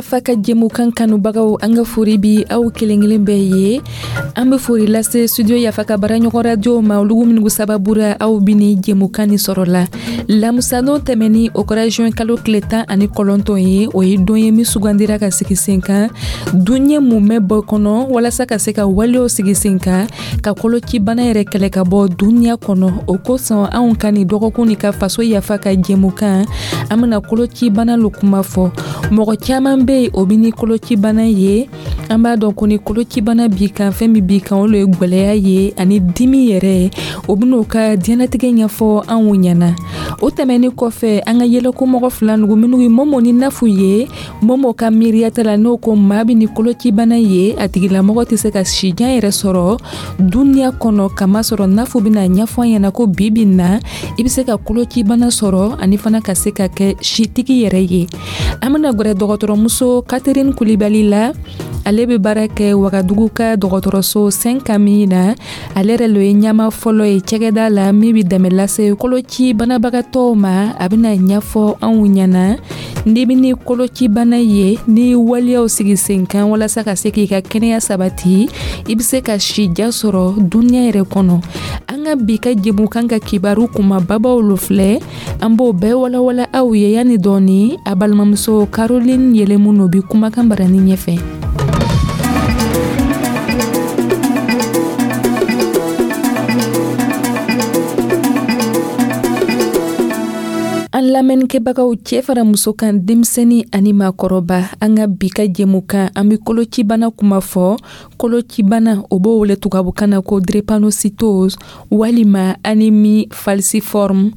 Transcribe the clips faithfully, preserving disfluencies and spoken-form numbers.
Yafa ka jɛmukan kanubagaw, an ka fori bi aw kelen kelen bɛɛ ye. An bɛ fori lase Studio Yafa ka baaraɲɔgɔn radio ma, olugu minnu sababura aw bi ni jɛmukan ni sɔrɔ la. Lamusadon tɛmɛni, o kɛra juin kalo tile tan ani kɔnɔntɔn ye. O ye don ye min sugandira ka sigi sen kan duɲɛ mumɛ bɔ kɔnɔ, walasa ka se ka walew sigi sen kan ka kolocibana yɛrɛ kɛlɛ ka bɔ duniɲa kɔnɔ. O kosɔn, anw ka nin dɔgɔkun ni ka Faso Yafa ka jɛmukan, an bena kolocibana lo kuma fɔ. Mɔgɔ caaman be yen, o bi ni kolocibana ye. An b'a dɔn ko ni kolocibana b'i kan, fɛn min b'i kan, o lo ye gwɛlɛya ye ani dimi yɛrɛ. O ben'o ka diɲɛnatigɛ ɲɛfɔ anw ɲɛna. O tɛmɛni kɔfɛ, an ka yɛlɛkomɔgɔ fila nugu, minnu ye Momo ni Nafu ye. Momo ka miiriyata la, n'o ko maa bi ni kolocibana ye, a tigilamɔgɔ tɛ se ka sijan yɛrɛ sɔrɔ duniɲa kɔnɔ, kamasɔrɔ Nafu bɛna ɲɛfɔ an ɲɛna ko bi bi na, i bɛ se ka kolocibana sɔrɔ ani fana ka se ka kɛ sitigi yɛrɛ ye. An bɛna gwɛrɛ dɔgɔtɔrɔmuso Catherine Kulibali la. Ale bɛ baara kɛ Wagadugu ka dɔgɔtɔrɔso Saint Camille na. Ale yɛrɛ lo ye ɲɛma fɔlɔ ye cɛgɛda la min bɛ dɛmɛ lase koloci banabagatɔw ma. A bɛna ɲɛfɔ anw ɲɛna, n'i bɛ ni kolocibana ye, ni waleyaw sigi sen kan walasa ka se k'i ka kɛnɛya sabati, i bɛ se ka sija sɔrɔ duniɲa yɛrɛ kɔnɔ. An ka bi ka jɛmukan ka kibaru kumababaw lo filɛ, an b'o bɛɛ walawala aw ye yanni dɔɔni. A balimamuso Caroline Yɛlɛmu no bi kumakan barani ɲɛfɛ. An lamɛnnikɛbagaw, cɛɛ fara muso kan, denmisɛni ani maakɔrɔba, an ka bi ka jɛmukan, an be kolocibana kuma fɔ. Kolocibana, o b'o wele tubabukan na ko drépanocytose walima anémie falciforme.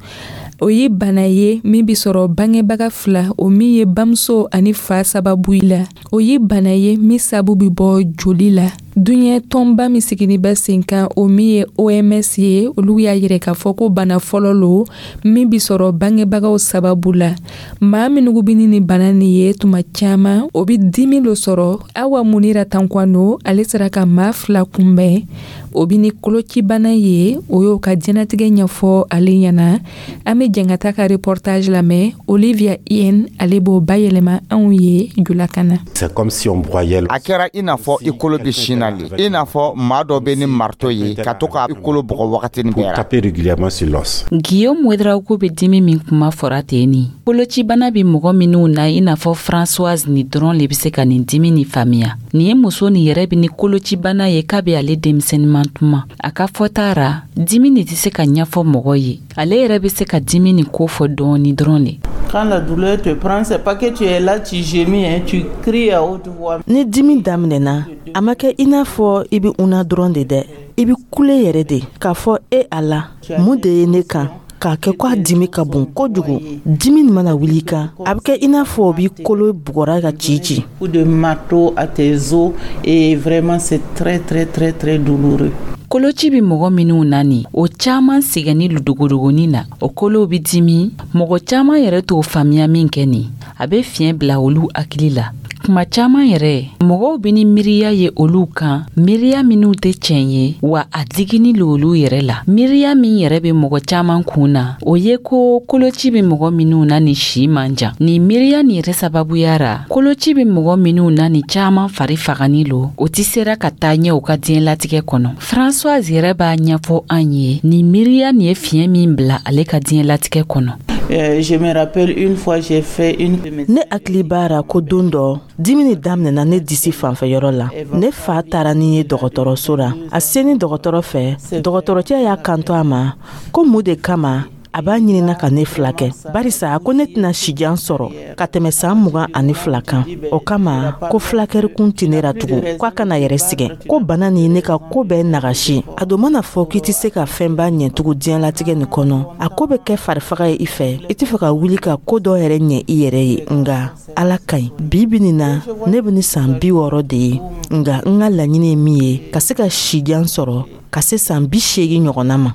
O ye bana ye min be sɔrɔ bangebaga fila, o min ye bamuso ani fa sababu la. O ye bana ye min sabu be bɔ joli la. Duɲɛ tɔnba min sigini bɛ sen kan, o min ye O M S ye, olu y'a yirɛ k'a fɔ ko bana fɔlɔ lo min bi sɔrɔ bangebagaw sababu la. Maa minnu bi ni nin bana nin ye, tuma caaman o bi dimi lo sɔrɔ. Awa Munira Tankwano, ale sera ka maa fila kunbɛn, o bi ni kolocibana ye. O y'o ka diɲɛnatigɛ ɲɛfɔ ale ɲɛna. An be jɛn ka taa ka reportage lamɛn. Olivia Ien, ale b'o bayɛlɛma anw ye julakan na. C'est comme si on broyait. A kɛra i n'a fɔ i kolo bɛ sin na le, i n'a fɔ maa dɔ bɛ ni marteau ye ka to ka i kolo bugɔ wagatinin Pour bɛɛ la. taper régulièrement sur l'os. Guillaume Ouedraogo bɛ dimi min kuma fɔra ten ni kolocibana bɛ mɔgɔ minnu na, i n'a fɔ Françoise ni dɔrɔn le bɛ se ka nin dimi ni faamuya. Nin ye muso nin yɛrɛ bɛ ni kolocibana ye kabi ale denmisɛnninman tuma. A ka fɔta ra, dimi nin tɛ se ka ɲɛfɔ mɔgɔ ye. Ale yɛrɛ bɛ se ka dimi nin ko fɔ dɔɔni dɔrɔn le. Quand la douleur te prend, c'est pas que tu es là, tu gémis, hein, tu cries à haute voix. Ni dimi daminɛna, a ma kɛ i n'a fɔ i be una dɔrɔn de dɛ, i be kule yɛrɛ de k'a fɔ: "E Ala, mun de ye ne kan?" K'a kɛ ko a dimi ka bon kojugu. Dimi nin mana wuli i kan, a bɛ kɛ i n'a fɔ o b'i kolo bugɔra ka ci ci. Coup de marteau à tes os et vraiment, c'est très très très très douloureux. Koloci bɛ mɔgɔ minnu na nin, o caaman sɛgɛnni dogodogonin na, o kolow bɛ dimi. Mɔgɔ caaman yɛrɛ t'o faamuya min kɛ nin, a bɛ fiɲɛ bila olu hakili la. Kuma caaman yɛrɛ, mɔgɔw bɛ ni miiriya ye olu kan, miiriya minw tɛ tiɲɛ ye, wa a digini lo olu yɛrɛ la. Miiriya min yɛrɛ bɛ mɔgɔ caaman kun na, o ye ko koloci bɛ mɔgɔ minnu na ni si man jan. Nin miiriya nin yɛrɛ sababuya ra, koloci bɛ mɔgɔ minnu na ni caaman fari fagani lo, o tɛ sera ka taa ɲɛ u ka diɲɛlatigɛ kɔnɔ. Françoise yɛrɛ b'a ɲɛfɔ an ye nin miiriya nin ye fiɲɛ min bila ale ka diɲɛlatigɛ kɔnɔ. Euh, je me rappelle, une fois, j'ai fait une Ne hakili b'a ra ko don dɔ, dimi ni daminɛna ne disi fanfɛyɔrɔ la. Ne fa taara ni ye dɔgɔtɔrɔso la. A seni dɔgɔtɔrɔ fɛ, dɔgɔtɔrɔcɛ y'a kanto a ma ko mun de kama a b'a ɲinina ka ne fila kɛ, barisa ko ne tɛna sijan sɔrɔ ka tɛmɛ saan mugan ani fila kan. O kama ko fulakɛrikun tɛ ne ra tugun, ko a kana yɛrɛ sigɛ, ko bana ni ne ka ko bɛɛ nagasi. A don mana fɔ k'i tɛ se ka fɛnba ɲɛtugu diɲɛlatigɛ nin kɔnɔ, a ko bɛ kɛ farifaga ye i fɛ, i tɛ fɛ ka wuli ka ko dɔ yɛrɛ ɲɛ i yɛrɛ ye. Nga Ala ka ɲi. Bi bi nin na, ne bɛ ni san bi wɔɔrɔ de ye, nga n ka laɲini ye min ye, ka se ka sijan sɔrɔ ka se san bi seegin ɲɔgɔnna ma.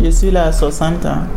Je suis là à soixante ans.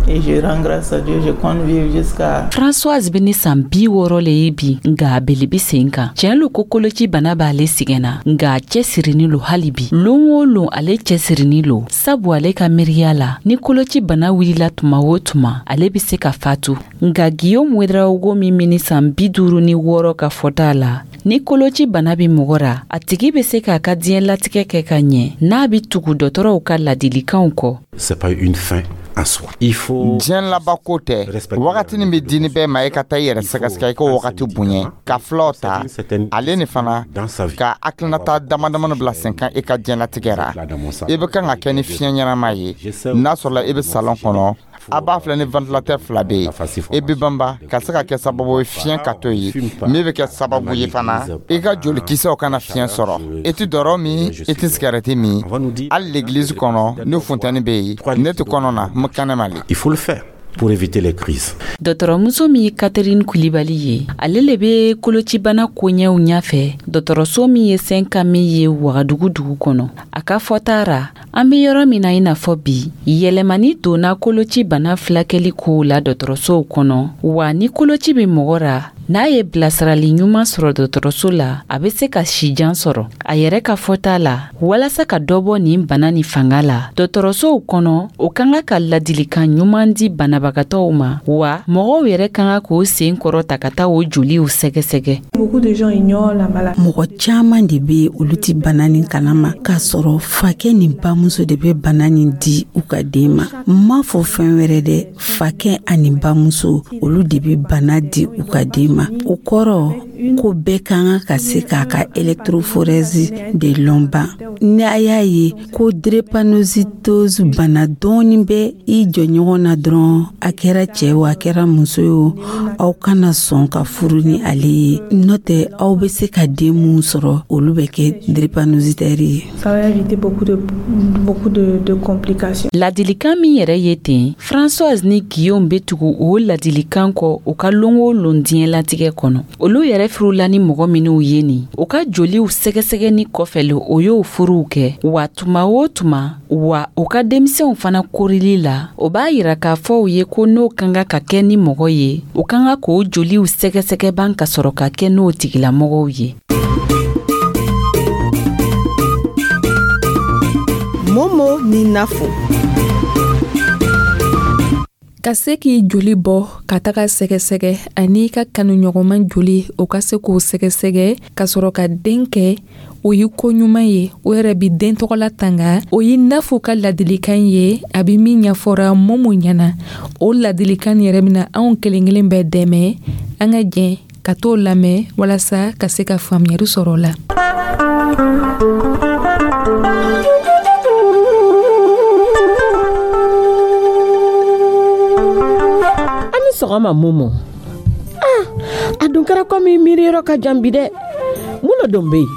Et je rends grâce à Dieu, je compte vivre jusqu'à Françoise bɛ ni san bi wɔɔrɔ le ye bi, nka a bele bi sen kan. Tiɲɛ lo ko koloci bana b'ale sɛgɛnna, nka a cɛsirinin lo hali bi. Lon o lon ale cɛsirinin lo, sabu ale ka miiriya la, ni koloci bana wulila tuma o tuma, ale be se ka fatu. Nka Guillaume Ouédraogo min bɛ ni san bi duuru ni wɔɔrɔ ka fɔta la, ni koloci bana bɛ mɔgɔ ra, a tigi bɛ se k'a ka diɲɛlatigɛ kɛ ka ɲɛ n'a bɛ tugu dɔgɔtɔrɔw ka ladilikanw kɔ. C'est pas une fin en soi. Il faut Diɲɛ laban ko tɛ. Wagatinin bɛ di ni bɛɛ ma, i ka taa i yɛrɛ sɛgɛsɛgɛ, i ka wagati bonya ka filaw ta ale ni fana ka hakilinata dama damani bila sen kan i ka diɲɛlatigɛ ra. I bɛ kan ka kɛ ni fiɲɛ ɲɛnama ye. N'a sɔrɔla i bɛ salon kɔnɔ, a b'a filɛ ni ventilateur fila bɛ yen, i bɛ banba ka se ka kɛ sababu ye fiɲɛ ka to yen, min bɛ kɛ sababu ye fana i ka jolikisɛw kana fiɲɛ sɔrɔ. I tɛ dɔrɔ min, i tɛ sigɛrɛti min. Hali l'église kɔnɔ, ni funtɛni bɛ yen, ne tɛ kɔnɔ na n bɛ kɛnɛma le. Il faut le faire pour éviter les crises. Dɔgɔtɔrɔmuso min ye Catherine Kulibali ye, ale le bɛ kolocibana koɲɛw ɲɛfɛ dɔgɔtɔrɔso min ye Saint-Camille ye Wagadugu dugu kɔnɔ. A ka fɔta ra, an bɛ yɔrɔ min na i n'a fɔ bi, yɛlɛmani donna koloci bana filakɛli kow la dɔgɔtɔrɔsow kɔnɔ. Wa ni koloci bɛ mɔgɔ ra, n'a ye bilasirali ɲuman sɔrɔ dɔgɔtɔrɔso la, a bɛ se ka sijan sɔrɔ. A yɛrɛ ka fɔta la, walasa ka dɔ bɔ nin bana nin fanga la dɔgɔtɔrɔsow kɔnɔ, o ka kan ka ladilikan ɲuman di banabagatɔw ma, wa mɔgɔw yɛrɛ ka kan k'o sen kɔrɔ ta ka taa o joliw sɛgɛsɛgɛ. Mɔgɔ caaman de be olu ti bana nin kalama, k'a sɔrɔ fakɛ ni bamuso de be bana nin di u ka den ma. N m'a fɔ fɛn wɛrɛ dɛ, fakɛ ani bamuso, olu de be bana di u ka den ma. O kɔrɔ ko bɛɛ ka kan ka se k'a ka électrophorèse de lɔn ban. Ni a y'a ye ko drépanocytose bana dɔɔni bɛ i jɔɲɔgɔn na dɔrɔn, a kɛra cɛɛ o, a kɛra muso ye o, aw kana sɔn ka furu ni ale ye, n'o tɛ aw bɛ se ka den mun sɔrɔ, olu bɛ kɛ drépanocytaire ye. Ladilikan min yɛrɛ ye ten, Françoise ni Guillaume bɛ tugu o ladilikan kɔ u ka lon o lon diɲɛlatigɛ kɔnɔ. Olu yɛrɛ furula ni mɔgɔ minw ye nin, u ka joliw sɛgɛsɛgɛni kɔfɛ le o y'o furuw kɛ. Wa tuma o tuma wa, u ka denmisɛnw fana korili la, o b'a yira k'a fɔ u ye ko n'o ka kan ka kɛ ni mɔgɔ ye, u ka kan k'o joliw sɛgɛsɛgɛ ban ka sɔrɔ ka kɛ n'o tigilamɔgɔw ye. Momo ni Nafo. Ka se k'i joli bɔ ka taga sɛgɛsɛgɛ ani i ka kanuɲɔgɔnman joli, o ka se k'o sɛgɛsɛgɛ ka sɔrɔ ka den kɛ, o ye ko ɲuman ye. O yɛrɛ bi den tɔgɔla tanga. O ye Nafo ka ladilikan ye, a bi min ɲɛfɔra Momo ɲɛna. O ladilikan yɛrɛ bɛna anw kelen kelen bɛɛ dɛmɛ. An ka jɛn ka t'o lamɛn walasa ka se ka faamuyali sɔrɔ o la. Sɔgɔma Momo. Ah, a dun kɛra komi miiri yɔrɔ ka jan bi dɛ. Mun lo don bɛ yen?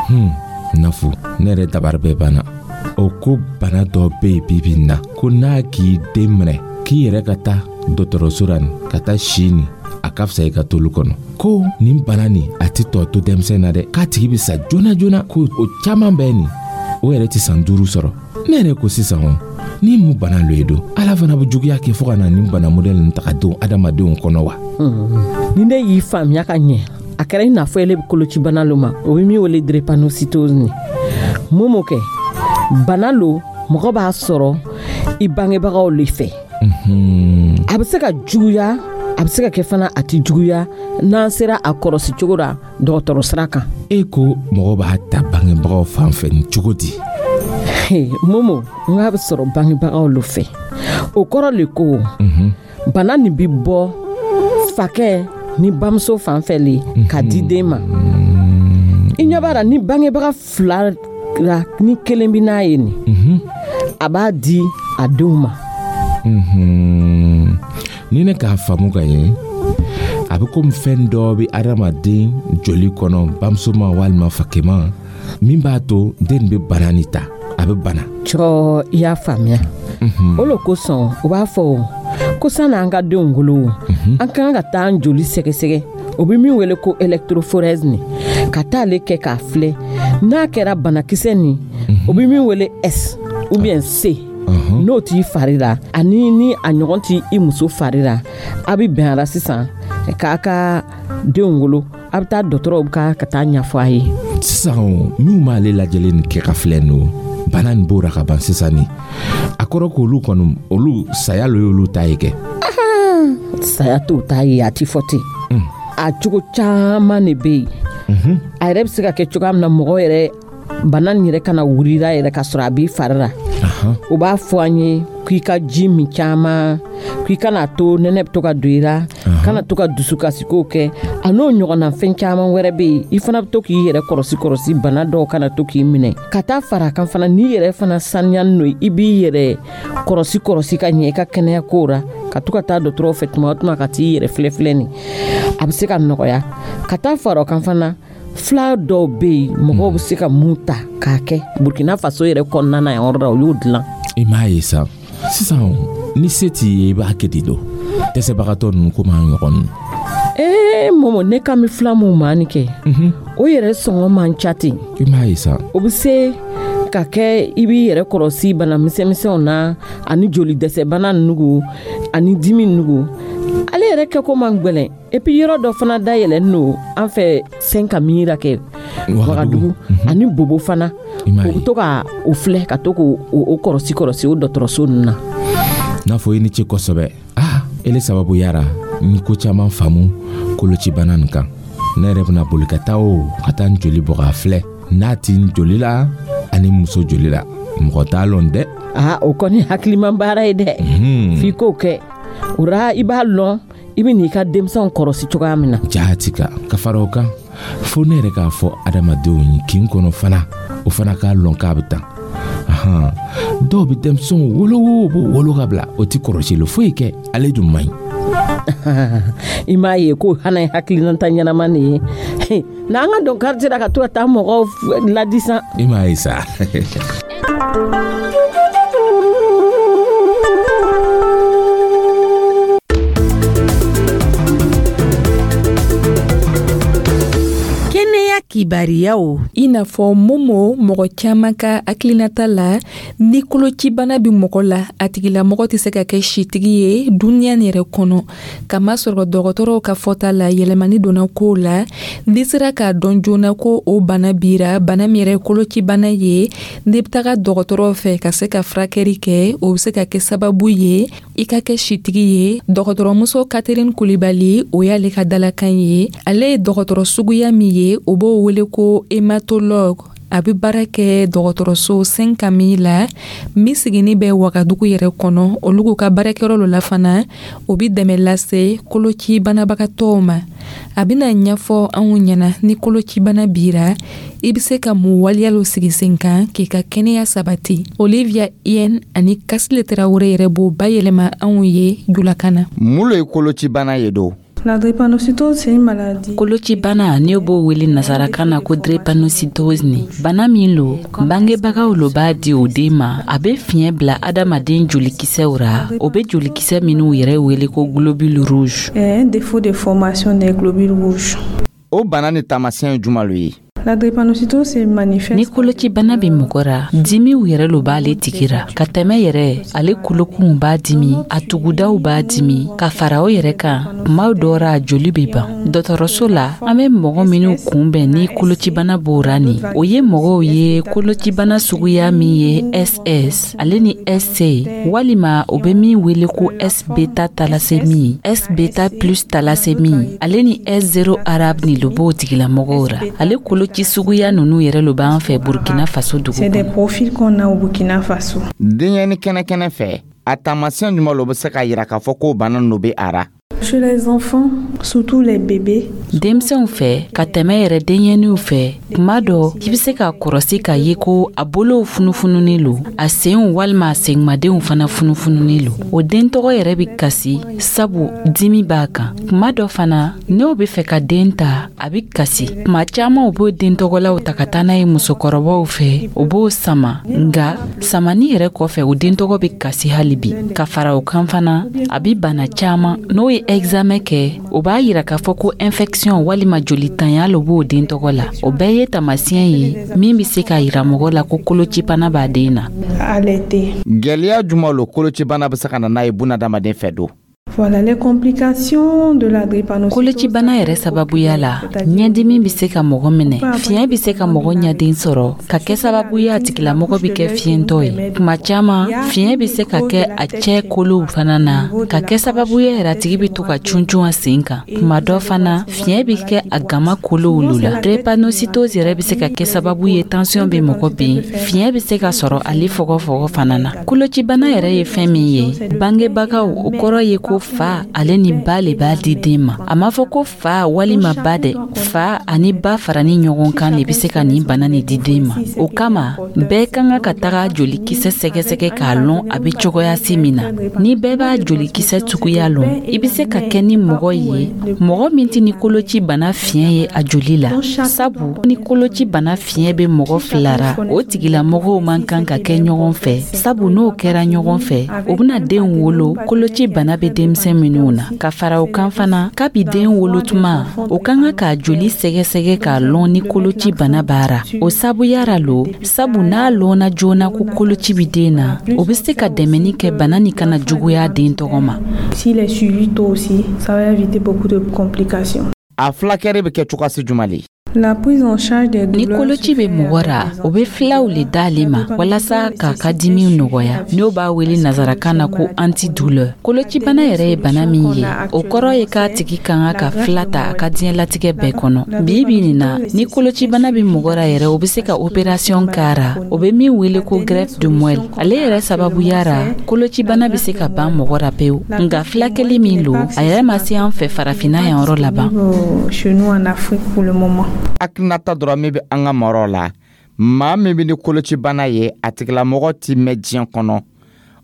Hmm, Nafo, ne yɛrɛ dabari bɛɛ banna. O ko bana dɔ bɛ yen bibi in na, ko n'a k'i den minɛ, k'i yɛrɛ ka taa dɔgɔtɔrɔso la nin ka taa si nin, a ka fisa i ka tolu kɔnɔ. Ko nin bana nin, a tɛ tɔ to denmisɛn na dɛ, k'a tigi bɛ sa joona joona. Ko o caman bɛ nin, o yɛrɛ tɛ san duuru sɔrɔ. Ne yɛrɛ ko sisan o ni mun bana lo ye don, Ala fana bɛ juguya kɛ fo ka na nin bana modɛli nin ta ka don adamadenw kɔnɔ wa? Ni ne y'i faamuya ka ɲɛ, a kɛra i n'a fɔ ele bɛ kolocibana lo ma, o bɛ min wele drépanocytose ni. Momo kɛ bana lo, mɔgɔ b'a sɔrɔ i bangebagaw le fɛ. A bɛ se ka juguya, a bɛ se ka kɛ fana a tɛ juguya, n'an sera a kɔrɔsi cogo la dɔgɔtɔrɔ sira kan. E ko mɔgɔ b'a ta bangebagaw fan fɛ nin cogo di? Momo, n k'a bɛ sɔrɔ bangebagaw lo fɛ, o kɔrɔ le ko bana nin bi bɔ fakɛ ni bamuso fan fɛ le ka di den ma. I ɲɛ b'a la, ni bangebaga fila la ni kelen bi n'a ye nin, a b'a di a denw ma. Ni ne k'a faamu ka ɲɛ, a bɛ komi fɛn dɔ bɛ adamaden joli kɔnɔ, bamuso ma walima fakɛma, min b'a to den bɛ bana nin ta, a bɛ bana. Cɔ, i y'a faamuya. O lo kosɔn u b'a fɔ ko sanni an ka denw wolo, an ka kan ka taa an joli sɛgɛsɛgɛ, o bɛ min wele ko électrophorèse nin, ka taa ale kɛ k'a filɛ n'a kɛra banakisɛ nin, o bɛ min wele S ou bien C. N'o t'i fari la ani ni a ɲɔgɔn t'i i muso fari la, a bɛ bɛn a la sisan k'a ka denw wolo, a bɛ taa dɔgɔtɔrɔw ka ka taa ɲɛfɔ a ye. Sisan minnu b'ale lajɛlen nin kɛ ka filɛ nin bana nin b'o ra ka ban sisan ni a kɔrɔ k'olu kɔni olu saya lo y'olu ta ye kɛ. Saya t'o ta ye, a ti fɔ ten. A cogo caman de bɛ yen. A yɛrɛ bɛ se ka kɛ cogoya min na mɔgɔ yɛrɛ bana nin yɛrɛ kana wulila yɛrɛ ka sɔrɔ a b'i fari la. O b'a fɔ an ye k'i ka ji min caman, k'i kana to nɛnɛ bɛ to ka don i la, kana to ka dusukasikow kɛ, a n'o ɲɔgɔnna fɛn caman wɛrɛ bɛ yen. I fana bɛ to k'i yɛrɛ kɔlɔsi kɔlɔsi bana dɔw kana to k'i minɛ. Ka taa fara a kan fana, n'i yɛrɛ fana sanuyani n'o ye, i b'i yɛrɛ kɔlɔsi kɔlɔsi ka ɲɛ i ka kɛnɛya kow la, ka to ka taa dɔgɔtɔrɔw fɛ tuma o tuma ka t'i yɛrɛ filɛ filɛ nin, a bɛ se ka nɔgɔya. Ka taa fara o kan fana, fila dɔw bɛ yen mɔgɔw bɛ se ka mun ta k'a kɛ Burkina Faso yɛrɛ kɔnɔna na yan yɔrɔ la, o y'o dilan. I m'a ye sa, sisan ni se t'i ye i b'a kɛ di do dɛsɛbagatɔ ninnu komi an ɲɔgɔn ninnu. Ee Momo, ne kan bɛ fila mun maa nin kɛ, o yɛrɛ sɔngɔ man ca ten. I m'a ye sa. O bɛ se ka kɛ i b'i yɛrɛ kɔlɔsi bana misɛnmisɛnw na ani joli dɛsɛbana nugu ani dimi nugu. Ale yɛrɛ kɛko man gwɛlɛn. Et puis yɔrɔ dɔ fana dayɛlɛnnen don an fɛ Saint-Camille la kɛ Wagadugu ani Bobo fana, o bɛ to ka o filɛ ka to k'o o kɔlɔsi kɔlɔsi o dɔgɔtɔrɔso ninnu na. N'a fɔ i ni ce kosɛbɛ. Ah, ele sababu yara n ko caman faamu kolocibana nin kan. Ne yɛrɛ bɛna boli ka taa o ka taa n joli bɔ k'a filɛ n'a ti n joli la ani muso joli la, mɔgɔ t'a lɔn dɛ. Ah, o kɔni hakiliman baara ye dɛ. F'i k'o kɛ o ra, i b'a lɔn i bɛ n'i ka denmisɛnw kɔlɔsi cogoya min na. Jaati ka ka fara o kan, fo ne yɛrɛ k'a fɔ adamadenw ye kin kɔnɔ fana, o fana k'a lɔn k'a bɛ tan. Ahan, dɔw bɛ denmisɛnw wolo o b'o wolo ka bila, o ti kɔlɔsili foyi kɛ, ale dun man ɲi. I m'a ye ko hana ye hakilinata ɲɛnama nin ye n'an ka don quartier la ka to ka taa mɔgɔw ladi san. I m'a ye sa. Kɛnɛya kibariyaw. I n'a fɔ Momo, mɔgɔ caman ka hakilinata la, ni kolocibana bɛ mɔgɔ la, a tigilamɔgɔ tɛ se ka kɛ sitigi ye duniya nin yɛrɛ kɔnɔ. Kamasɔrɔ dɔgɔtɔrɔw ka fɔta la, yɛlɛmani donna kow la. N'i sera k'a dɔn joona ko o bana bira, bana min yɛrɛ ye kolocibana ye, n'i bɛ taga dɔgɔtɔrɔw fɛ ka se ka furakɛli kɛ, o bɛ se ka kɛ sababu ye i ka kɛ sitigi ye. Dɔgɔtɔrɔmuso Catherine Kulibali, o y'ale ka dalakan ye. Ale ye dɔgɔtɔrɔ suguya min ye, o b'o wele ko hématologue. A bɛ baara kɛ dɔgɔtɔrɔso Saint-Camille la min sigini bɛ Wagadugu yɛrɛ kɔnɔ. Olu k'u ka baarakɛyɔrɔ lo la fana, o bɛ dɛmɛ lase koloci banabagatɔw ma. A bɛna ɲɛfɔ anw ɲɛna ni kolocibana bira, i bɛ se ka mun waleya lo sigi sen kan k'i ka kɛnɛya sabati. Olivia Yen ani Kasile Tarawele yɛrɛ b'o bayɛlɛma anw ye julakan na. Mun lo ye kolocibana ye do? La drépanocytose, c'est une maladie. Kolocibana, ne b'o wele nasarakan na ko drépanocytose ni. Bana min lo, bangebagaw lo b'a di o den ma, a bɛ fiɲɛ bila adamaden jolikisɛw ra, o bɛ jolikisɛ minnu yɛrɛ wele ko globule rouge. Un défaut de formation des globules rouges. O bana ni taamasiyɛn ye jumɛn lo ye? La drépanocytose se manifeste. Ni kolocibana bɛ mɔgɔ ra, dimiw yɛrɛ lo b'ale tigi ra. Ka tɛmɛ yɛrɛ, ale kolokunw b'a dimi, a tugudaw b'a dimi, ka fara o yɛrɛ kan, kuma dɔ ra a joli bɛ ban. Dɔgɔtɔrɔso la, an bɛ mɔgɔ minnu kunbɛn ni kolocibana b'o ra nin, o ye mɔgɔw ye kolocibana suguya min ye S S ale ni S C, walima o bɛ min wele ko S beta thalassémie, S beta plus thalassémie, ale ni S zéro arabe ni lo b'o tigilamɔgɔw ra. Ale kolo ci suguya ninnu yɛrɛ lo b'an fɛ Burkina Faso dugu kɔnɔ. C'est des profils qu'on a au Burkina Faso. Denyɛrɛnin kɛnɛkɛnɛ fɛ, a taamasiyɛn jumɛn lo bɛ se k'a yira k'a fɔ k'o bana ninnu bɛ a ra? Chez les enfants, surtout les bébés. Denmisɛnw fɛ, ka tɛmɛ yɛrɛ denyɛrɛninw fɛ, kuma dɔ i bɛ se k'a kɔlɔsi k'a ye ko a bolow funufununen lo, a senw walima a senmadenw fana funufununen lo. O den tɔgɔ yɛrɛ bɛ kasi sabu dimi b'a kan. Kuma dɔ fana, n'o bɛ fɛ ka den ta, a bɛ kasi. Kuma caman u b'o den tɔgɔlaw ta ka taa n'a ye musokɔrɔbaw fɛ, o b'o sama. Nka samani yɛrɛ kɔfɛ, o den tɔgɔ bɛ kasi hali bi. Ka fara o kan fana, a bɛ bana caman n'o ye examen kɛ, o b'a yira k'a fɔ ko infection walima jolitanya lo b'o den tɔgɔ la. O bɛɛ ye taamasiyɛn ye min bɛ se k'a yira mɔgɔ la ko kolocibana b'a den na. Allaiter. Gwɛlɛya juman lo kolocibana bɛ se ka na n'a ye bunadamaden fɛ don? Voilà les complications de la drépanocytose. Kolocibana yɛrɛ sababuya la, ɲɛdimi bɛ se ka mɔgɔ minɛ, fiɲɛ bɛ se ka mɔgɔ ɲaden sɔrɔ ka kɛ sababu ye a tigilamɔgɔ bɛ kɛ fiyɛntɔ ye. Tuma caman, fiɲɛ bɛ se ka kɛ a cɛ kolow fana na, ka kɛ sababu ye yɛrɛ a tigi bɛ to ka cuncun a sen kan. Tuma dɔ fana, fiɲɛ bɛ kɛ a gama kolow lo la. Drépanocytose yɛrɛ bɛ se ka kɛ sababu ye tension bɛ mɔgɔ bin, fiɲɛ bɛ se ka sɔrɔ ale fɔgɔfɔgɔ fana na. Kolocibana yɛrɛ ye fɛn min ye, bangebagaw, o kɔrɔ ye ko fa ale ni ba le b'a di den ma. A m'a fɔ ko fa walima ba dɛ, fa ani ba farani ɲɔgɔn kan de bɛ se ka nin bana nin di den ma. O kama, bɛɛ ka kan ka taga jolikisɛ sɛgɛsɛgɛ k'a lɔn a bɛ cogoya si min na. Ni bɛɛ b'a jolikisɛ suguya lɔn, i bɛ se ka kɛ ni mɔgɔ ye, mɔgɔ min tɛ ni koloci bana fiɲɛ ye a joli la, sabu ni koloci bana fiɲɛ bɛ mɔgɔ fila ra, o tigilamɔgɔw man kan ka kɛ ɲɔgɔn fɛ, sabu n'o kɛra ɲɔgɔn fɛ, o bɛna den wolo koloci bana bɛ denmisɛn minnu na. Ka fara o kan fana, kabi den wolo tuma, o ka kan k'a joli sɛgɛsɛgɛ k'a lɔn ni koloci bana b'a ra. O sabuya ra lo, sabu n'a lɔnna joona ko koloci bɛ den na, o bɛ se ka dɛmɛni kɛ bana nin kana juguya den tɔgɔ ma. S'il est suivi tôt aussi, ça va éviter beaucoup de complications. A fulakɛri bɛ kɛ cogoya jumɛn le? La prise en charge des Ni douleurs. Koloci bɛ mɔgɔ ra, o bɛ filaw le d'ale ma walasa k'a ka dimiw nɔgɔya, n'o b'a wele nazarakan na ko antidouleur. Kolocibana yɛrɛ ye bana min ye, o kɔrɔ ye k'a tigi ka kan ka fila ta a ka diɲɛlatigɛ bɛɛ kɔnɔ. Bi bi nin na, ni kolocibana bɛ mɔgɔ ra yɛrɛ, o bɛ se ka opération k'a ra, o bɛ min wele ko greffe de moelle. Ale yɛrɛ sababuya ra, kolocibana bɛ se ka ban mɔgɔ ra pewu, nka filakɛli min lo, a yɛrɛ ma se an fɛ farafinna yan yɔrɔ laban. Euh, Chez nous en Afrique pour le moment. Hakilinata dɔrɔn min bɛ an ka maraw la, maa min bɛ ni kolocibana ye, a tigilamɔgɔ ti mɛn diɲɛ kɔnɔ,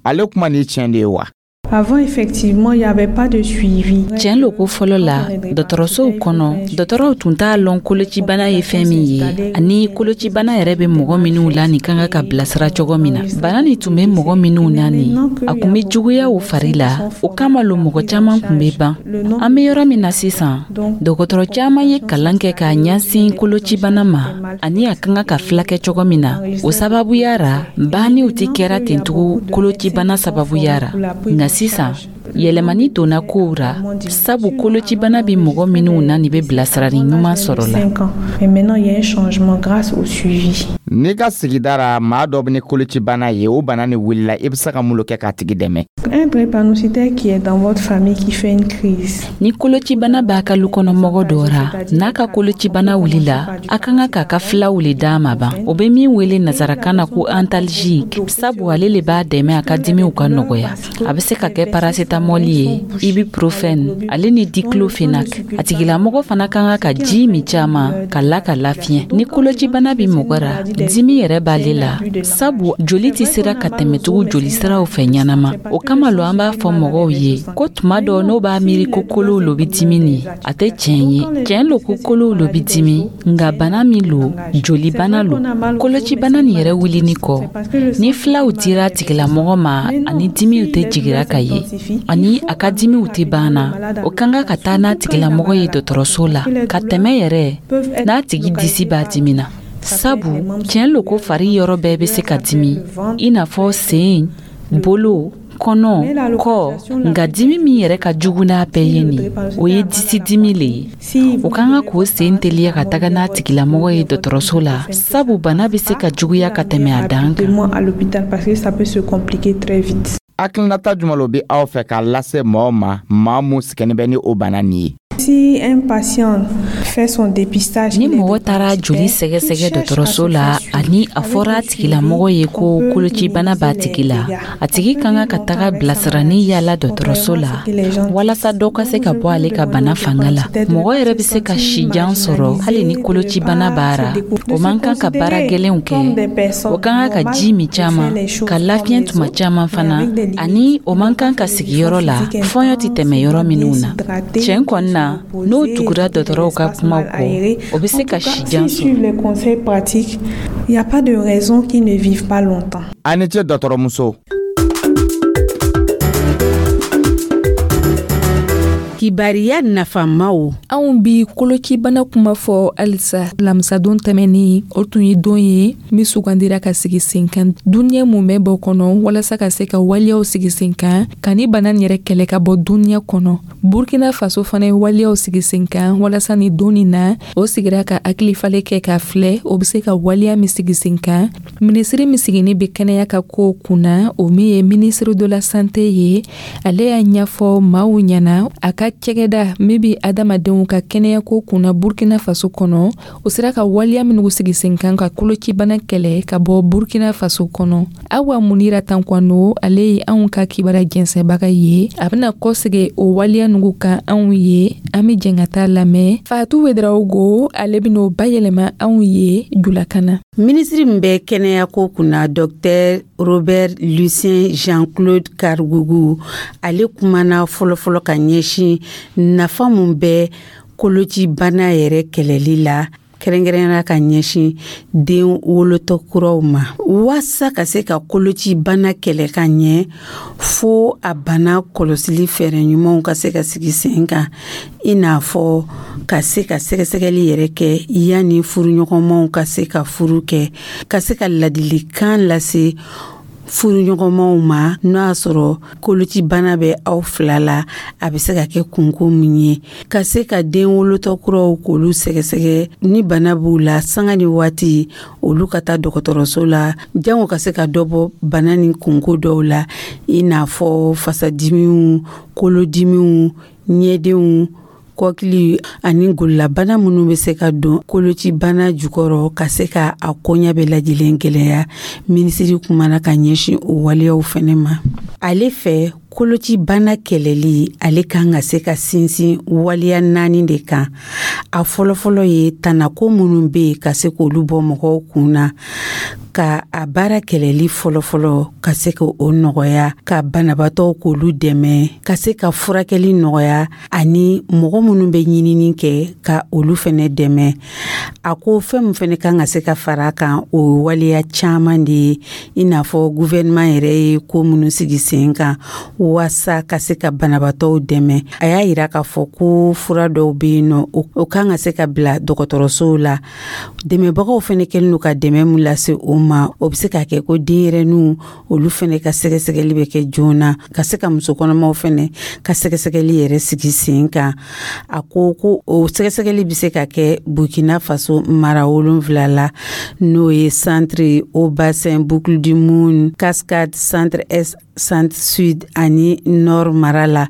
ale kuma nin tiɲɛ de ye wa? Avant, effectivement, il n'y avait pas de suivi. Tiɲɛ lo ko fɔlɔ la, dɔgɔtɔrɔsow kɔnɔ, dɔgɔtɔrɔw tun t'a lɔn kolocibana ye fɛn min ye, ani kolocibana yɛrɛ bɛ mɔgɔ minnu la nin ka kan ka bilasira cogo min na. Bana nin tun bɛ mɔgɔ minnu na nin, a tun bɛ juguya u fari la, o kama lo mɔgɔ caman tun bɛ ban. An bɛ yɔrɔ min na sisan, dɔgɔtɔrɔ caman ye kalan kɛ k'a ɲɛsin kolocibana ma ani a ka kan ka filakɛ cogo min na. O sababuya ra, banniw tɛ kɛra ten tugun kolocibana sababuya ra. Nka sisan, yɛlɛmani donna kow ra, sabu kolocibana bɛ mɔgɔ minnu na nin bɛ bilasirali ɲuman sɔrɔ la. Cinq ans. Mais maintenant, il y a un changement grâce au suivi. N'i ka sigida ra maa dɔ bɛ ni kolocibana ye, o bana ni wulila, i bɛ se ka mun lo kɛ k'a tigi dɛmɛ? Un drépanocytaire qui est dans votre famille qui fait une crise. Ni kolocibana b'a ka lukɔnɔmɔgɔ dɔ ra, n'a ka kolocibana wulila, a ka kan k'a ka filaw le d'a ma ban, o bɛ min wele nazarakan na ko antalgique, sabu ale le b'a dɛmɛ a ka dimiw ka nɔgɔya. A bɛ se ka kɛ paracétamol ye, ibuprofène ale ni diclofenac. A tigilamɔgɔ fana ka kan ka ji min caman ka la ka lafiɲɛ. Ni kolocibana bɛ mɔgɔ ra, dimi yɛrɛ b'ale la, sabu joli tɛ sera ka tɛmɛ tugun jolisiraw fɛ ɲɛnama. O kama lo an b'a fɔ mɔgɔw ye ko tuma dɔ n'o b'a miiri ko kolow lo bɛ dimi nin, a tɛ tiɲɛ ye. Tiɲɛ lo ko kolow lo bɛ dimi, nka bana min lo, jolibana lo. Kolocibana nin yɛrɛ wulini kɔ, ni filaw dira a tigilamɔgɔ ma ani dimiw tɛ jigira ka ye ani a ka dimiw tɛ ban na, o ka kan ka taa n'a tigilamɔgɔ ye dɔgɔtɔrɔso la ka tɛmɛ yɛrɛ n'a tigi disi b'a dimi na, sabu tiɲɛ lo ko fari yɔrɔ bɛɛ bɛ se ka dimi, i n'a fɔ sen, bolo, kɔnɔ, kɔ, nka dimi min yɛrɛ ka jugu n'a bɛɛ ye nin, o ye disi dimi le ye. O ka kan k'o sen teliya ka taga n'a tigilamɔgɔ ye dɔgɔtɔrɔso la, sabu bana bɛ se ka juguya ka tɛmɛ a dan kan. Rapidement à l'hôpital parce que ça peut se compliquer très vite. Hakilinata jumɛn lo bɛ aw fɛ k'a lase mɔgɔw ma, maa mun sɛgɛnnen bɛ ni o bana nin ye? Si un patient fait son dépistage, Ni mɔgɔ taara joli sɛgɛsɛgɛ dɔgɔtɔrɔso la ani a fɔra a tigilamɔgɔ ye ko kolocibana b'a tigi la, a tigi ka kan ka taga bilasirani yala dɔgɔtɔrɔso la walasa dɔ ka se ka bɔ ale ka bana fanga la. Mɔgɔ yɛrɛ bɛ se ka si jan sɔrɔ hali ni kolocibana b'a ra. O man kan ka baara gɛlɛnw kɛ, o ka kan ka ji min caman, ka lafiɲɛ tuma caman fana, ani o man kan ka sigi yɔrɔ la fɔɲɔ tɛ tɛmɛ yɔrɔ minnu na. Tiɲɛ kɔni na, n'o tugura dɔgɔtɔrɔw ka kumaw kɔ, o bɛ se ka si jan S'ils sɔrɔ. Suivent les conseils pratiques, il n'y a pas de raison qu'ils ne vivent pas longtemps. A ni ce, dɔgɔtɔrɔmuso. K'i Kibariya nafamaw. Anw bi kolocibana kuma fɔ halisa. Lamisadon tɛmɛnin, o tun ye don ye min sugandira ka sigi sen kan duniɲɛ mumɛ bɔ kɔnɔ, walasa ka se ka waleyaw sigi sen kan ka ni bana nin yɛrɛ kɛlɛ ka bɔ duniɲɛ kɔnɔ. Burkina Faso fana ye waleyaw sigi sen kan walasa ni don nin na, o sigira ka hakilifalen kɛ ka filɛ o be se ka waleya min sigi sen kan. Minisiri min sigini be kɛnɛya ka kow kunna, o min ye ministre de la Santé ye, ale y'a ɲɛfɔ maaw ɲɛna a ka cɛgɛda min be adamadenw ka kɛnɛyako kunna Burkina Faso kɔnɔ, o sera ka waleya minnu sigi sen kan ka kolocibana kɛlɛ ka bɔ Burkina Faso kɔnɔ. Awa Munira Tankwano, ale ye anw ka kibara jɛnsɛbaga ye, a bena kɔsegi o waleya nugu kan anw ye. An be jɛn ka taa lamɛn Fatu Wedarawogo, ale ben'o bayɛlɛma anw ye julakan na. Minisiri min bɛ kɛnɛyako kunna, Docteur Robert Lucien Jean-Claude Kargougou, ale kumana fɔlɔfɔlɔ ka ɲɛsin nafa mun bɛ kolocibana yɛrɛ kɛlɛli la, kɛrɛnkɛrɛnyana ka ɲɛsin den wolotɔ kuraw ma. Waasa ka se ka kolocibana kɛlɛ ka ɲɛ, fo a bana kɔlɔsili fɛɛrɛ ɲumanw ka se ka sigi sen kan, i n'a fɔ ka se ka sɛgɛsɛgɛli yɛrɛ kɛ yanni furuɲɔgɔnmaw ka se ka furu kɛ, ka se ka ladilikan lase furuɲɔgɔnmaw ma n'o y'a sɔrɔ kolocibana bɛ aw fila la, a bɛ se ka kɛ kunko min ye, ka se ka den wolotɔ kuraw k'olu sɛgɛsɛgɛ ni bana b'u la sanga ni waati, olu ka taa dɔgɔtɔrɔso la jango ka se ka dɔ bɔ bana ni kunko dɔw la, i n'a fɔ fasadimiw, kolodimiw, ɲɛdenw, kɔkili ani gololabana minnu bɛ se ka don kolocibana jukɔrɔ, ka se ka a koɲɛ bɛɛ lajɛlen gɛlɛya. Minisiri kumana ka ɲɛsin o waleyaw fɛnɛ ma. Ale fɛ, kolocibana kɛlɛli, ale kan ka se ka sinsin waleya naani de kan. A fɔlɔfɔlɔ ye tanako minnu bɛ yen, ka se k'olu bɔ mɔgɔw kun na, ka a baara kɛlɛli fɔlɔfɔlɔ ka se ka o nɔgɔya, ka banabaatɔw k'olu dɛmɛ, ka se ka furakɛli nɔgɔya, ani mɔgɔ minnu bɛ ɲinini kɛ, ka olu fɛnɛ dɛmɛ. A ko fɛn min fɛnɛ kan ka se ka fara a kan, o ye waleya caman de ye, i n'a fɔ gouvernement yɛrɛ ye ko minnu sigi sen kan waasa ka se ka banabaatɔw dɛmɛ. A y'a yira k'a fɔ ko fura dɔw bɛ yen nɔ, o kan ka se ka bila dɔgɔtɔrɔsow la. Dɛmɛbagaw fɛnɛ kɛlen don ka dɛmɛ mun lase o ma, o bɛ se ka kɛ ko denyɛrɛninw, olu fɛnɛ ka sɛgɛsɛgɛli bɛ kɛ joona, ka se ka muso kɔnɔmaw fɛnɛ ka sɛgɛsɛgɛli yɛrɛ sigi sen kan. A ko ko o sɛgɛsɛgɛli bɛ se ka kɛ Burkina Faso mara wolonfila la, n'o ye Centre, Haut-Bassin, Boucle du Mouhoun, Cascade, Centre Est, Centre Sud ani Nord mara la.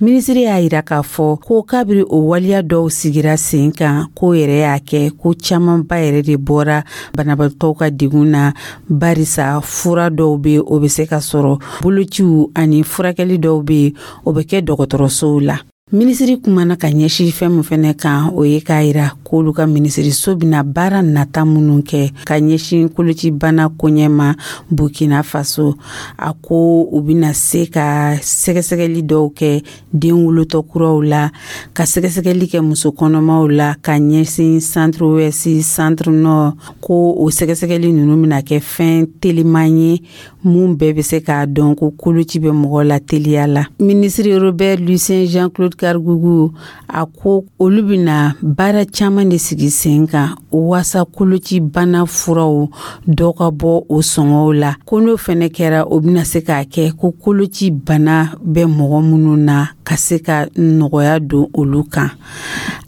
Minisiri y'a yira k'a fɔ ko kabiri o waleya dɔw sigira sen kan, ko yɛrɛ y'a kɛ ko camanba yɛrɛ de bɔra banabaatɔw ka degun na, barisa fura dɔw bɛ, o bɛ se ka sɔrɔ, bolociw ani furakɛli dɔw bɛ yen, o bɛ kɛ dɔgɔtɔrɔsow la. Minisiri kumana ka ɲɛsin fɛn min fɛnɛ kan, o ye k'a yira k'olu ka minisiriso bɛna baara nata minnu kɛ ka ɲɛsin kolocibana koɲɛ ma Burkina Faso. A ko u bɛna se ka sɛgɛsɛgɛli dɔw kɛ den wolotɔ kuraw la, ka sɛgɛsɛgɛli kɛ muso kɔnɔmaw la ka ɲɛsin Centre Ouest, Centre Nord. Ko o sɛgɛsɛgɛli ninnu bɛna kɛ fɛn teliman ye mun bɛɛ bɛ se k'a dɔn ko koloci bɛ mɔgɔ la teliya la. Minisiri Robert Lucien Jean-Claude Kargougou, a ko olu bɛna baara caman de sigi sen kan waasa kolocibana furaw dɔ ka bɔ o sɔngɔw la. Ko n'o fɛnɛ kɛra, o bɛna se k'a kɛ ko koloci bana bɛ mɔgɔ minnu na, ka se ka nɔgɔya don olu kan.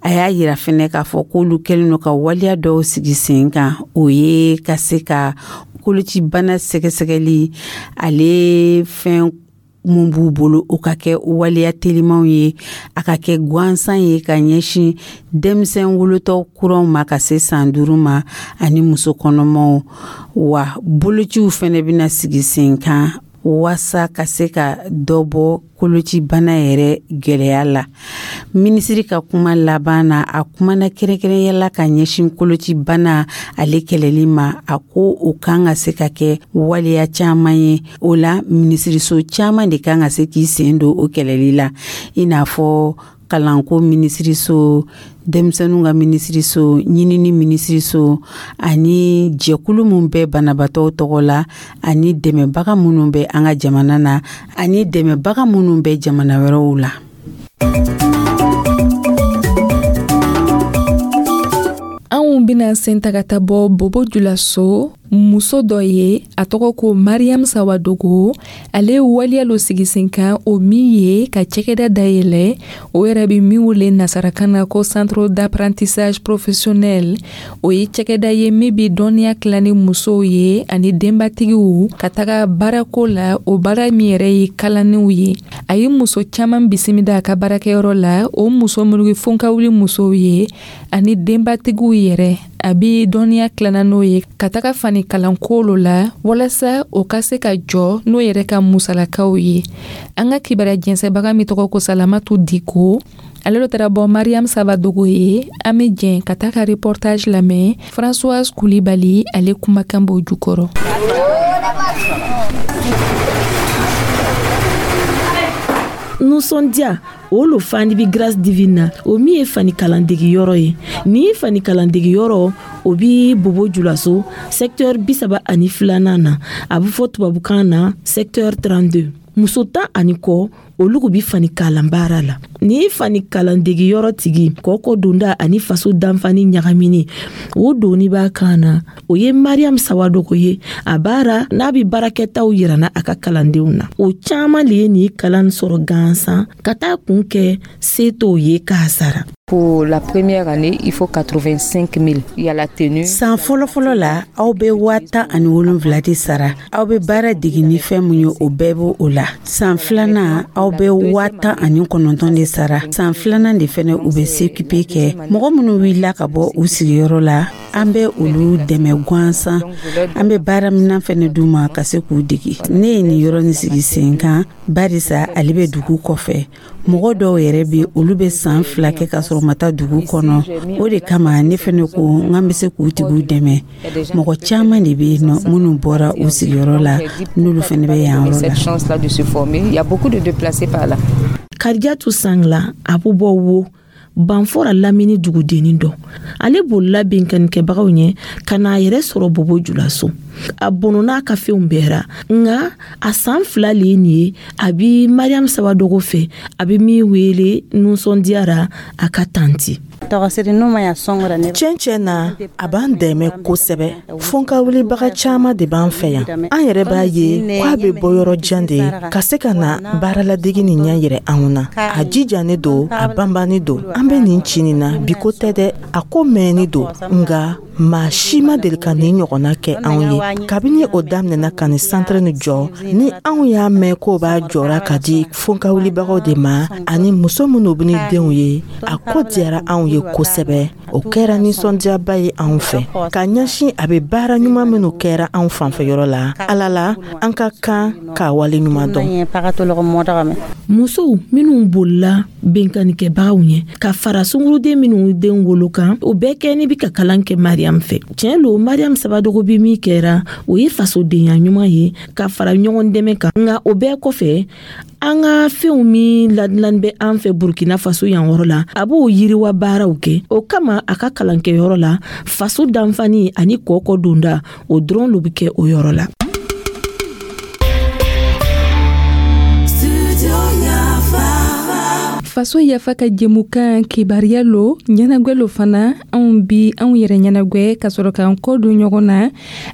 A y'a yira fɛnɛ k'a fɔ k'olu kɛlen don ka waleya dɔw sigi sen kan, o ye ka se ka kolocibana sɛgɛsɛgɛli, ale fɛn mun b'u bolo, o ka kɛ waleya telimanw ye, a ka kɛ gansan ye ka ɲɛsin denmisɛn wolotɔ kuraw ma ka se san duuru ma ani muso kɔnɔmaw. Wa bolociw fɛnɛ bɛna sigi sen kan waasa ka se ka dɔ bɔ kolocibana yɛrɛ gɛlɛya la. Minisiri ka kuma laban na, a kumana kɛrɛnkɛrɛnya la ka ɲɛsin kolocibana ale kɛlɛli ma. A ko o kan ka se ka kɛ waleya caman ye, o la minisiriso caman de kan ka se k'i sen don o kɛlɛli la, i n'a fɔ kalanko minisiriso, denmisɛnninw ka minisiriso, ɲinini minisiriso, ani jɛkulu min bɛ banabaatɔw tɔgɔ la, ani dɛmɛbaga minnu bɛ an ka jamana na, ani dɛmɛbaga minnu bɛ jamana wɛrɛw la. Bɛna sen ta ka taa bɔ Bobo Julaso. Muso dɔ ye, a tɔgɔ ko Mariam Sawadogo. Ale ye waleya lo sigi sen kan, o min ye ka cɛkɛda dayɛlɛ, o yɛrɛ bɛ min wele nasarakan na ko centre d'apprentissage professionnel. O ye cɛkɛda ye min bɛ dɔnniya tila ni musow ye ani denbatigiw ka taga baarako la, o baara min yɛrɛ ye kalanniw ye. A ye muso caman bisimila a ka baarakɛyɔrɔ la, o muso minnu ye fonkawuli musow ye ani denbatigiw yɛrɛ. A bɛ dɔnniya tilana n'o ye ka taga fani kalanko lo la, walasa o ka se ka jɔ n'o yɛrɛ ka musalakaw ye. An ka kibaruya jɛnsɛbaga min tɔgɔ ko Salamatu Diko, ale lo taara bɔ Mariam Sawadogo ye. An bɛ jɛn ka taa ka reportage lamɛn. Françoise Kulibali, ale kumakan b'o jukɔrɔ. Nisɔndiya o lo fani bi Grâce Divine na, o min ye fani kalandegiyɔrɔ ye. Ni fani kalandegiyɔrɔ, o bi Bobo Julaso, secteur bisaba ani filanan na, a bɛ fɔ tubabukan na secteur trente-deux. Muso tan ani kɔ, olu bi fani kalan baara la. Ni fani kalandegiyɔrɔ tigi kɔkɔ donda ani faso danfani ɲagamini, o doni b'a kan na, o ye Mariam Sawadogo ye. A baara n'a bi baarakɛtaw yirana a ka kalandenw na, o caaman le ye nin kalan sɔrɔ gansan ka taa kun kɛ se t'o ye k'a sara. Pour la première année, il faut quatre-vingt-cinq mille. Il y a la tenue. San fɔlɔfɔlɔ la, aw bɛ waa tan ani wolonwula de sara. Aw bɛ baara degi ni fɛn mun ye, o bɛɛ b'o o la. San filanan, aw bɛ waa tan ani kɔnɔntɔn de sara. San filanan de fɛnɛ, u bɛ C Q P kɛ. Mɔgɔ minnu wulila ka bɔ u sigiyɔrɔ la, an bɛ olu dɛmɛ gansan. An bɛ baaraminan fɛnɛ d'u ma ka se k'u degi. Ne ye nin yɔrɔ nin sigi sen kan barisa ale bɛ dugu kɔfɛ. Mɔgɔ dɔw yɛrɛ bɛ, olu bɛ san fila kɛ ka sɔrɔ ma taa dugu kɔnɔ. O de kama ne fɛnɛ ko n k'an bɛ se k'u tigiw dɛmɛ. Mɔgɔ caman de bɛ yen nɔ minnu bɔra u sigiyɔrɔ la, n'olu fɛnɛ bɛ yan yɔrɔ la. Karijatu Sangla, a bɛ bɔ wo Banfora lamini dugudennin dɔ. Ale bolila binkannikɛbagaw ɲɛ ka n'a yɛrɛ sɔrɔ Bobo Julaso. A bɔnɔ n'a ka fɛnw bɛɛ ra, nka a san fila le ye nin ye a bi Mariam Sawadogo fɛ, a bɛ min wele nisɔndiyara a ka tanti. Tiɲɛ tiɲɛ na, a b'an dɛmɛ kosɛbɛ. Fonkawulibaga caman de b'an fɛ yan. An yɛrɛ b'a ye k'a bɛ bɔ yɔrɔ jan de ka se ka na baaraladegi nin ɲɛ yɛrɛ anw na. A jijannen don, a banbannen don. An bɛ nin ci nin na, bi ko tɛ dɛ, a ko mɛnni don, nka maa si ma deli ka nin ɲɔgɔnna kɛ anw ye. Kabini o daminɛna ka nin santere nin jɔ, ni anw y'a mɛn k'o b'a jɔra ka di fonkawulibagaw de ma ani muso minnu bɛ ni denw ye, a ko diyara anw ye kosɛbɛ. O kɛra nisɔndiyaba ye anw fɛ ka ɲɛsin a bɛ baara ɲuman minnu kɛra anw fanfɛyɔrɔ la. Ala la, an ka kan k'a wale ɲuman dɔn. Musow minnu bolila binkannikɛbagaw ɲɛ ka fara sunguruden minnu den wolo kan, o bɛɛ kɛ ni bi ka kalan kɛ Mariam fɛ. Tiɲɛ lo, Mariam Sawadogo bi min kɛra, o ye fasodenya ɲuman ye ka fara ɲɔgɔn dɛmɛ kan. Nka o bɛɛ kɔfɛ, an ka fɛnw min ladilanni bɛ an fɛ Burkina Faso yan yɔrɔ la, a b'o yiriwa baaraw kɛ. O kama a ka kalankɛyɔrɔ la, faso danfani ani kɔkɔ donda, o dɔrɔn lo bɛ kɛ o yɔrɔ la. Faso yafa ka jɛmukan kibaruya lo, ɲɛnagwɛ lo fana. Anw bi anw yɛrɛ ɲɛnagwɛ ka sɔrɔ k'an kɔ don ɲɔgɔn na.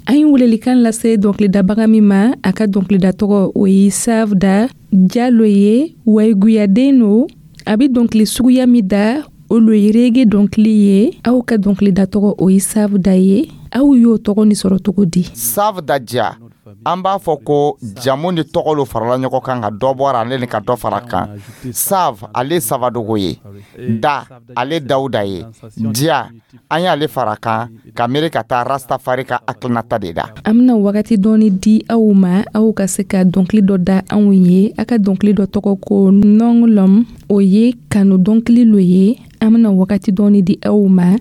An ye welelikan lase dɔnkilidabaga min ma, a ka dɔnkilida tɔgɔ o ye Savda Jalo ye, wayiguyaden no. A bɛ dɔnkili suguya min da, o lo ye reggae dɔnkili ye. Aw ka dɔnkilida tɔgɔ o ye Savda ye. Aw y'o tɔgɔ ni sɔrɔ cogo di? Savda Dia, an b'a fɔ ko jamu ni tɔgɔ lo farala ɲɔgɔn kan ka dɔ bɔra ale ni ka dɔ fara kan. Sav, ale Sawadogo ye. Da, ale Dawuda ye. Dia, an y'ale fara kan ka miiri ka taa Rastafari ka hakilinata de da. An bɛna wagati dɔɔni di aw ma, aw ka se ka dɔnkili dɔ da anw ye. A ka dɔnkili dɔ tɔgɔ ko Nɔngɔlɔm, o ye kanu dɔnkili lo ye. An bɛna wagati dɔɔni di aw ma,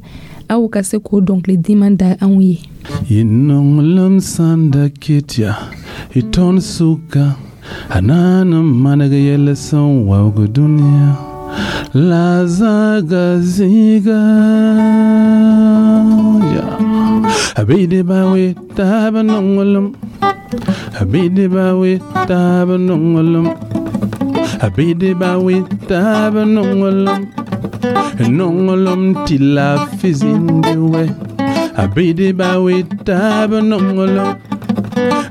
aw ka se k'o dɔnkili diman da anw ye. Inonglam sanda kitya iton suka anana managa yelesan wawga dunia la zaga ziga ya abide bawe tabanonglam abide bawe tabanonglam abide bawe tabanonglam nonglam tila fizindiwe. Abidi bawi tabanongolom.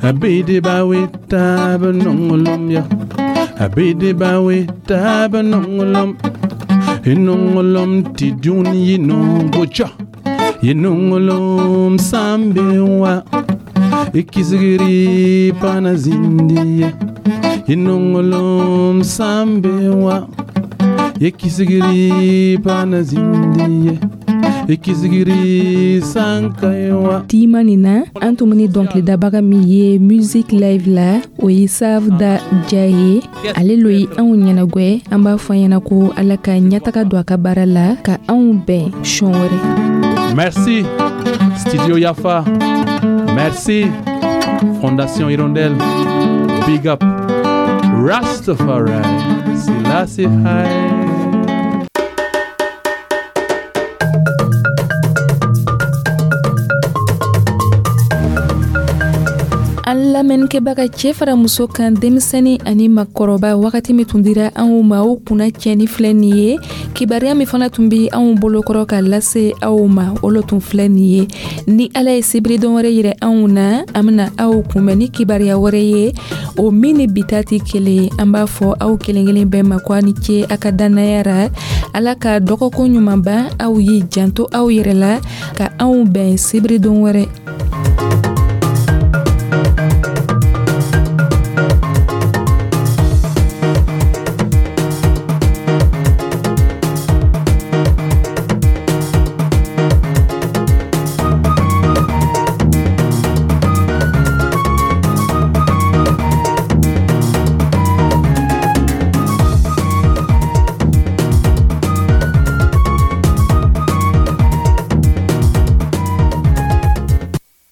Abidi bawi tabanongolom ya. Abidi bawi tabanongolom. Inongolom ti duni yinongocha. Yinongolom sambewa. Ikisigiri panazindiye. Inongolom sambewa. Ikisigiri panazindiye. Ikisigiri sankaiwa. Tima nin na an tun bɛ ni dɔnkilidabaga min ye music live la o ye Savda Ja ye ale lo ye anw ɲɛnagwɛ an b'a fɔ an ɲɛna ko ala ka ɲɛtaga don a ka baara la ka anw bɛn sɔn wɛrɛ. Merci Studio Yafa. Merci Fondation Hirondelle. Big up Rastafari. Selassie High. An lamɛnnikɛbaga cɛ fara muso kan denmisɛnnin ani makɔrɔba wagati min tun dira anw ma o kunna tiɲɛni filɛ nin ye kibaruya min fana tun bɛ anw bolokɔrɔ ka lase aw ma o lo tun filɛ nin ye ni ala ye sibiridon wɛrɛ yira anw na an bɛna aw kunbɛn ni kibaruya wɛrɛ ye o min ni bi ta tɛ kelen ye an b'a fɔ aw kelen kelen bɛɛ ma ko a ni ce a ka dannaya ra ala ka dɔgɔkun ɲuman ban aw ye janto aw yɛrɛ la ka anw bɛn sibiridon wɛrɛ.